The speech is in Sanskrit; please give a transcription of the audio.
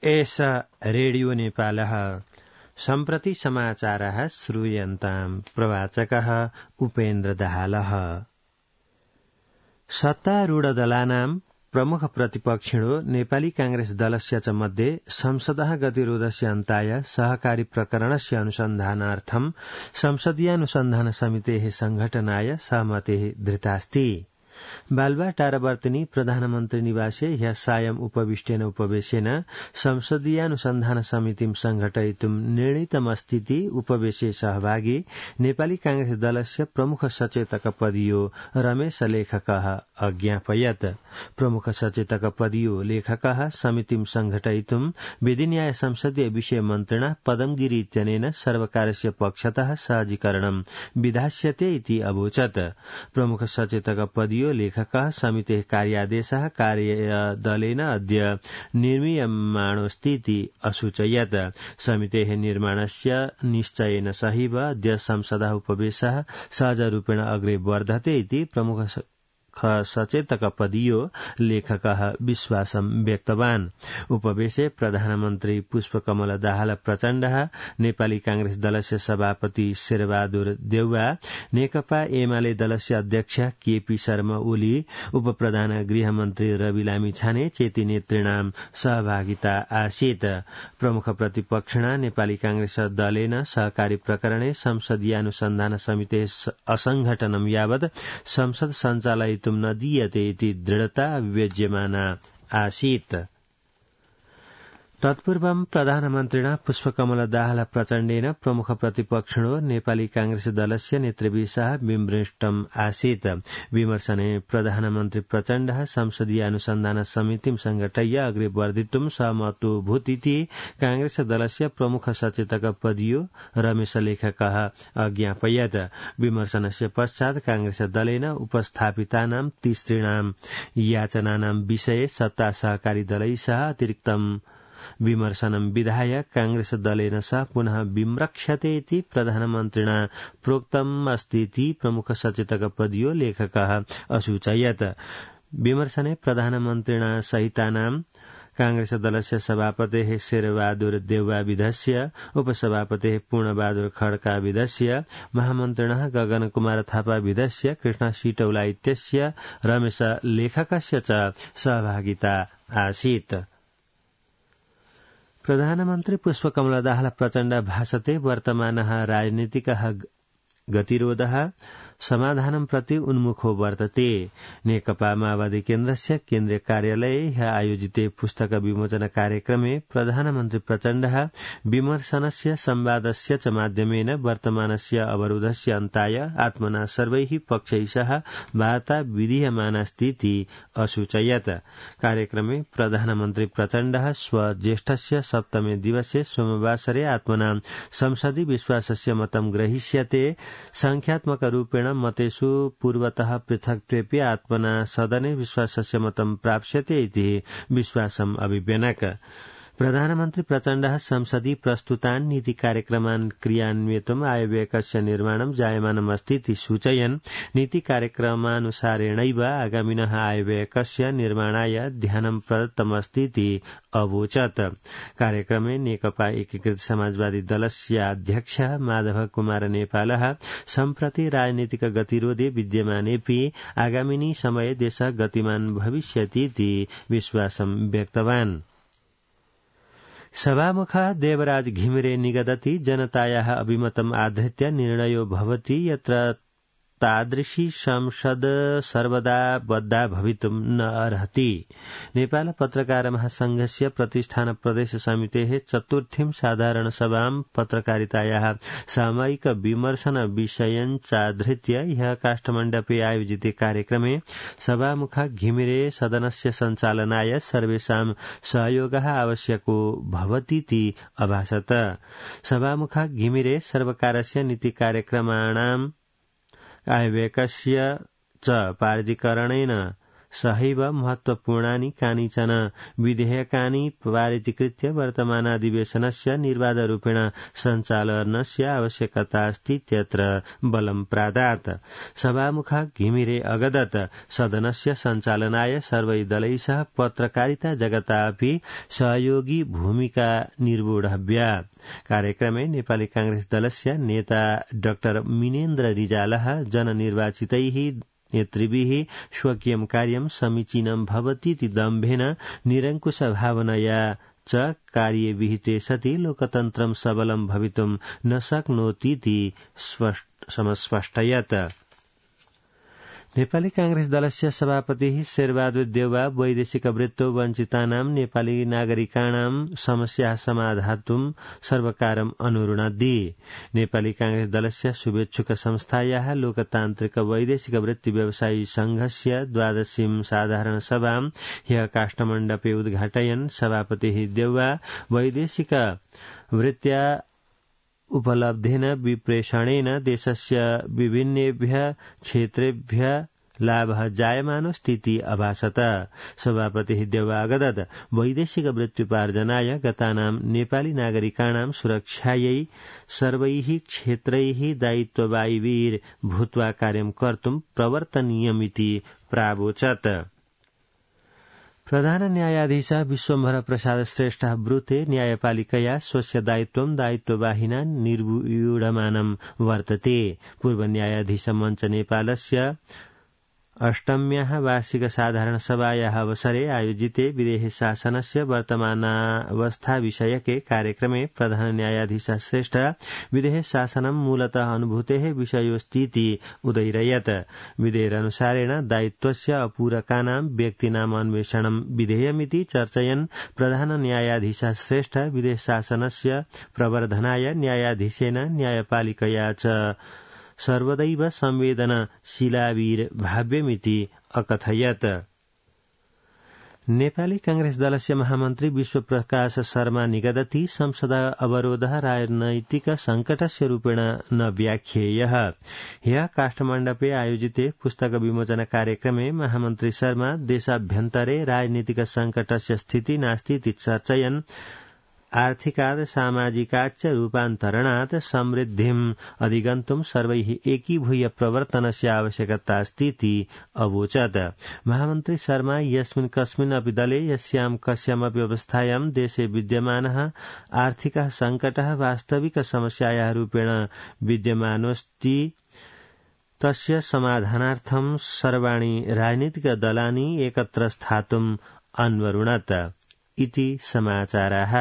एष रेडियो नेपालः सम्प्रति समाचारः श्रूयन्ताम् प्रवाचकः उपेन्द्र दाहालः। सत्तारूढदलानां प्रमुख प्रतिपक्षिणो नेपाली कांग्रेस दलस्य च मध्ये संसदः गतिरोधस्य अन्ताय सहकारी प्रकरणस्य अनुसन्धानार्थं संसदीयानुसन्धान समितेः संघटनाय सहमतिः धृतास्ति। बालुवाटारवर्तिनी प्रधानमन्त्री निवासे ह्यः सायं उपविष्टेन उपवेशेन संसदीयानुसन्धान समितिं संघटयितुं निर्णीतमस्तीति उपवेशे सहभागी नेपाली कांग्रेस दलस्य प्रमुख सचेतक पदीयो रमेश लेखकः अज्ञापयत्। प्रमुख सचेतक पदीयो लेखकः समितिं संघटयितुं विधिन्याय संसदीय विषय मन्त्रिणा पदमगिरि इत्यनेन सर्वकारस्य पक्षतः सहजीकरणं विधास्यते इति अवोचत्। प्रमुख सचेतक पदीयो लेखकः समितेः कार्यादेशः कार्यदलेन अद्य निर्मीयमाणोऽस्तीति असूचयत्। समितेः निर्माणस्य निश्चयेन सहैव अद्य संसदः उपवेशः सहजरूपेण अग्रे वर्धते इति प्रमुख सचेतक पदीयो लेखकः विश्वासं व्यक्तवान्। उपवेशे प्रधानमन्त्री पुष्पकमल दाहाल प्रचण्डः, नेपाली कांग्रेस दलस्य सभापति शेरबहादुर देउवा, नेकपा एमाले दलस्य अध्यक्ष केपी शर्मा ओली, उपप्रधान गृहमन्त्री रवि लामिछाने चेती नेतृणां सहभागिता आसीत्। प्रमुख प्रतिपक्षिणा नेपाली कांग्रेस दलेन सहकारी प्रकरणे संसदीयानुसन्धान समितेः असंघटनं यावत् संसद सञ्चालयितुं न दीयते इति दृढता अभिव्यज्यमाना आसीत्। तत्पूर्वं प्रधानमन्त्रिणा पुष्पकमल दाहाल प्रचण्डेन प्रमुख प्रतिपक्षिणो नेपाली कांग्रेस दलस्य नेतृभिः सह विमृष्टम् आसीत्। विमर्शने प्रधानमन्त्री प्रचण्डः संसदीय अनुसन्धान समितिं संघटय्य अग्रे वर्धितुं सहमतोऽभूतिति कांग्रेस दलस्य प्रमुख सचेतक पदीयो रमेश लेखकः अज्ञापयत्। विमर्शनस्य पश्चात् कांग्रेस दलेन उपस्थापितानां तिसृणां याचनानां विषये सत्ता सहकारी दलैः सह अतिरिक्तम् विमर्शनं विधाय कांग्रेस दलेन सह पुनः विम्रक्ष्यते इति प्रधानमन्त्रिणा प्रोक्तम् अस्तीति प्रमुख सचेतक पदीयो लेखकः असूचयत्। विमर्शने प्रधानमन्त्रिणा सहितानां कांग्रेस दलस्य सभापतेः शेरबहादुर देउवा विधस्य, उपसभापतेः पूर्णबहादुर खड्का विधस्य, महामन्त्रिणः गगन कुमार थापा विधस्य, कृष्ण सिटौला इत्यस्य, रमेश लेखकस्य च सहभागिता आसीत्। प्रधानमन्त्री पुष्पकमल दाहाल प्रचण्ड भाषते वर्तमानः राजनीतिकः गतिरोधः समाधानं प्रति उन्मुखो वर्तते। नेकपा माओवादी केन्द्रस्य केन्द्रीय कार्यालये आयोजिते पुस्तक विमोचन कार्यक्रमे प्रधानमन्त्री प्रचण्डः विमर्शनस्य संवादस्य च माध्यमेन वर्तमानस्य अवरोधस्य अन्ताय आत्मना सर्वैः पक्षैः सह वार्ता विधीयमानास्तीति असूचयत्। कार्यक्रमे प्रधानमन्त्री प्रचण्डः स्वज्येष्ठस्य सप्तमे दिवसे सोमवासरे आत्मना संसदि विश्वासस्य मतं ग्रहीष्यते। संख्यात्मक रूपेण मतेषु पूर्वतः पृथक्त्वेऽपि आत्मना सदने विश्वासस्य मतं प्राप्स्यते इति विश्वासम् अभिव्यनक। प्रधानमन्त्री प्रचण्डः संसदि प्रस्तुतान् नीति कार्यक्रमान् क्रियान्वयितुम् आयव्ययकस्य निर्माणं जायमानमस्तीति सूचयन् नीति कार्यक्रमानुसारेणैव आगामिनः आयव्ययकस्य निर्माणाय ध्यानं प्रदत्तमस्तीति अवोचत्। कार्यक्रमे नेकपा एकीकृत समाजवादी दलस्य अध्यक्ष माधव कुमार नेपालः सम्प्रति राजनीतिक गतिरोधे विद्यमानेऽपि आगामिनी समये देशः गतिमान् भविष्यतीति विश्वासं व्यक्तवान्। सभामुख देवराज घिमिरे निगदति जनतायाः अभिमतम् आधृत्य निर्णयो भवति यत्र तादृशी संसद सर्वदा बद्धा भवितुं न अर्हति। नेपाल पत्रकार महासंघस्य प्रतिष्ठान प्रदेश समितेः चतुर्थीं साधारण सभां पत्रकारितायाः सामयिक विमर्शन विषयञ्चाधृत्य ह्यः काष्ठमण्डपे आयोजिते कार्यक्रमे सभामुख घिमिरे सदनस्य सञ्चालनाय सर्वेषां सहयोगः आवश्यको भवतीति अभाषत। सभामुख घिमिरे सर्वकारस्य नीति कार्यक्रमाणां आयव्ययकस्य च पारिजीकरणेन सहैव महत्वपूर्णानि कानिचन विधेयकानि पारितीकृत्य वर्तमानाधिवेशनस्य निर्बाधरूपेण सञ्चालनस्य आवश्यकता अस्ति इत्यत्र बलं प्रादात्। सभामुखः घिमिरे अगदत् सदनस्य सञ्चालनाय सर्वै दलैः सह पत्रकारिता जगता अपि सहयोगी भूमिका निर्वोढव्या। कार्यक्रमे नेपाली कांग्रेस दलस्य नेता डाक्टर मिनेन्द्र रिजालः जननिर्वाचितैः नेतृभिः स्वकीयं कार्यं समीचीनं भवतीति दम्भेन निरङ्कुशभावनया च कार्ये विहिते सति लोकतन्त्रं सबलं भवितुं न शक्नोतीति समस्पष्टयत्। नेपाली कांग्रेस दलस्य सभापतिः शेरबहादुर देउवा वैदेशिकवृत्तौ वञ्चितानां नेपाली नागरिकाणां समस्याः समाधातुं सर्वकारम् अनुरुणद्धि। नेपाली कांग्रेस दलस्य शुभेच्छुक संस्थायाः लोकतान्त्रिक वैदेशिक वृत्ति व्यवसायी संघस्य 12वीं साधारण सभां ह्यः काष्ठमण्डपे उद्घाटयन् सभापतिः देउवा वैदेशिक वृत्त्या उपलब्धेन विप्रेषणेन देशस्य विभिन्नेभ्यः क्षेत्रेभ्यः लाभः जायमानोऽस्तीति अभासत। सभापतिः देउवा अगदत् वैदेशिक वृत्त्युपार्जनाय गतानां नेपाली नागरिकाणां सुरक्षायै सर्वैः क्षेत्रैः दायित्ववायवीर भूत्वा कार्यं कर्तुं प्रवर्तनीयमिति प्रावोचत्। प्रधान न्यायाधीश विश्वम्भर प्रसाद श्रेष्ठ ब्रूते न्यायपालिकया स्वस्य दायित्ववाहिना निर्व्यूढमानं वर्तते। पूर्व न्यायाधीश मञ्च नेपालस्य 8म्याः वार्षिक साधारण सभायाः अवसरे आयोजिते विदेश शासनस्य वर्तमानावस्था विषयके कार्यक्रमे प्रधान न्यायाधीश श्रेष्ठ विदेश शासनं मूलतः अनुभूतेः विषयोऽस्तीति उदैरयत्। विधेयकानुसारेण दायित्वस्य अपूरकानां व्यक्तीनाम् अन्वेषणं विधेयमिति चर्चयन् प्रधान न्यायाधीश श्रेष्ठ विदेश शासनस्य प्रवर्धनाय न्यायाधीशेन न्यायपालिकया च सर्वदैव संवेदनशीलावीर भाव्यमिति अकथयत्। नेपाली कांग्रेस दलस्य महामन्त्री विश्वप्रकाश शर्मा निगदति संसद अवरोधः राजनैतिक संकटस्य रूपेण न व्याख्येयः। ह्यः काष्ठमण्डपे आयोजिते पुस्तक विमोचन कार्यक्रमे महामन्त्री शर्मा देशाभ्यन्तरे राजनीतिक संकटस्य स्थिति नास्तीति चर्चयन् आर्थिकात् सामाजिकाच्च रूपान्तरणात् समृद्धिम् अधिगन्तुं सर्वैः एकीभूय प्रवर्तनस्य आवश्यकता अस्तीति अवोचत्। महामन्त्री शर्मा यस्मिन् कस्मिन् अपि दले यस्यां कस्यामपि अवस्थायां देशे विद्यमानः आर्थिकः संकटः वास्तविक समस्यायाः रूपेण विद्यमानोऽस्ति तस्य समाधानार्थं सर्वाणि राजनीतिक दलानि एकत्र स्थातुम् अन्वरुणत् इति समाचाराः।